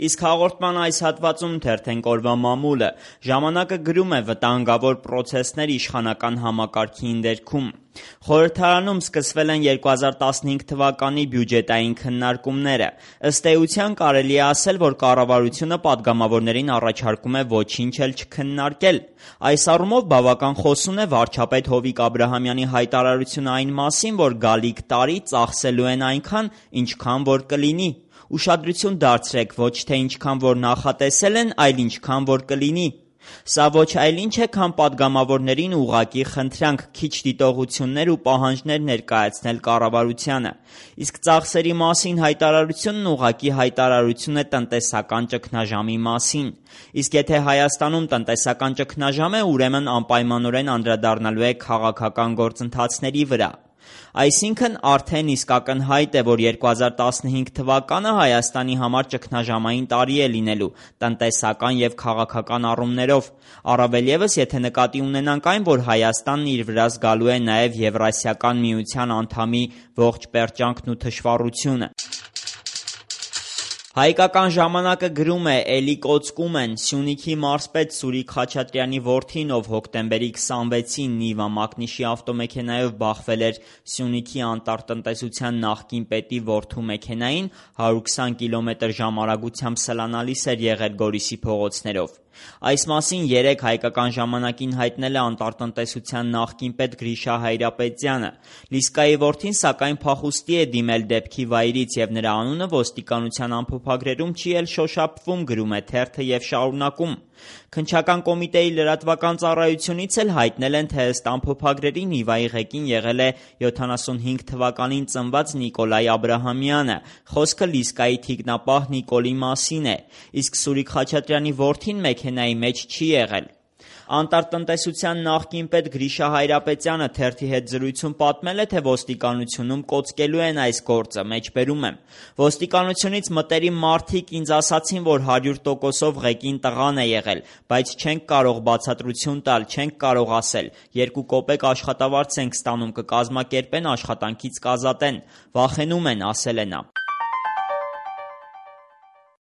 Իսկ հաղորդման այս հատվածում թերթենք օրվա մամուլը։ Ժամանակը գրում է վտանգավոր պրոցեսներ իշխանական համակարգի ընդերքում։ Խորհրդարանում սկսվել են 2015 թվականի բյուջետային քննարկումները։ Ըստ էության կարելի է ասել, որ կառավարությունը պատգամավորներին առաջարկում է ոչինչ էլ չքննարկել։ Այս առումով բավական խոսուն է վարչապետ Հովիկ Աբրահամյանի հայտարարությունը այն մասին, որ գալիք տարի ծախսելու են այնքան, ինչքան որ կլինի։ Ուշադրություն դարձրեք, ոչ թե ինչքան որ նախատեսել են, այլ ինչքան որ կլինի։ Սա ոչ այլ ինչ է, քան պատգամավորներին ուղղակի խնդրանք, քիչ դիտողություններ ու պահանջներ ներկայացնել կառավարությանը։ Իսկ ծախսերի մասին հայտարարությունն ուղղակի հայտարարություն է տնտեսական ճգնաժամի մասին։ Իսկ եթե Հայաստանում տնտեսական ճգնաժամ է, ուրեմն անպայմանորեն անդրադառնալու է քաղաքական գործընթացների վրա։ Այսինքն արդեն իսկ ակնհայտ է, որ 2015 թվականը Հայաստանի համար ճգնաժամային տարի է լինելու տնտեսական և քաղաքական առումներով, առավել ևս, եթե նկատի ունենանք այն, որ Հայաստանն իր վրա զգալու է նաև Եվրասիական միության անդամի ողջ պերճանքն ու թշվառությունը։ Հայկական ժամանակը գրում է. «Էլի կոծկում են»։ Սյունիքի մարզպետ Սուրիկ Խաչատրյանի որդին, ով հոկտեմբերի 26-ին Նիվա մակնիշի ավտոմեքենայով բախվել էր Սյունիքի անտառտնտեսության նախկին պետի որդու մեքենային, 120 կմ/ժ արագությամբ սլանալիս էր եղել Գորիսի փողոցներով։ Այս մասին երեկ Հայկական ժամանակին հայտնել է անտառտնտեսության նախկին պետ Գրիշա Հայրապետյանը։ Լիսկայի որդին սակայն փախուստի է դիմել դեպքի վայրից և նրա անունը ոստիկանության ամփոփագրերում չի էլ շոշափվում, գրում է թերթը և շարունակում. Քննչական կոմիտեի լրատվական ծառայությունից էլ հայտնել են, թե ըստ ամփոփագրերի Նիվայի ղեկին եղել է 75 թվականին ծնված Նիկոլայ Աբրահամյանը։ Խոսքը Լիսկայի թիկնապահ Նիկոլի մասին է, իսկ Սուրիկ Խաչատրյանի որդին մեքենայի մեջ չի եղել։ Անտառտնտեսության նախկին պետ Գրիշա Հայրապետյանը թերթի հետ զրույցում պատմել է, թե ոստիկանությունում կոծկելու են այս գործը, մեջբերում եմ. «Ոստիկանությունից մտերիմ մարդիկ ինձ ասացին, որ 100%-ով ղեկին տղան է եղել, բայց չենք կարող բացատրություն տալ, չենք կարող ասել, 2 կոպեկ աշխատավարձ ենք ստանում, կկազմակերպեն, աշխատանքից կազատեն, վախենում են», ասել է նա։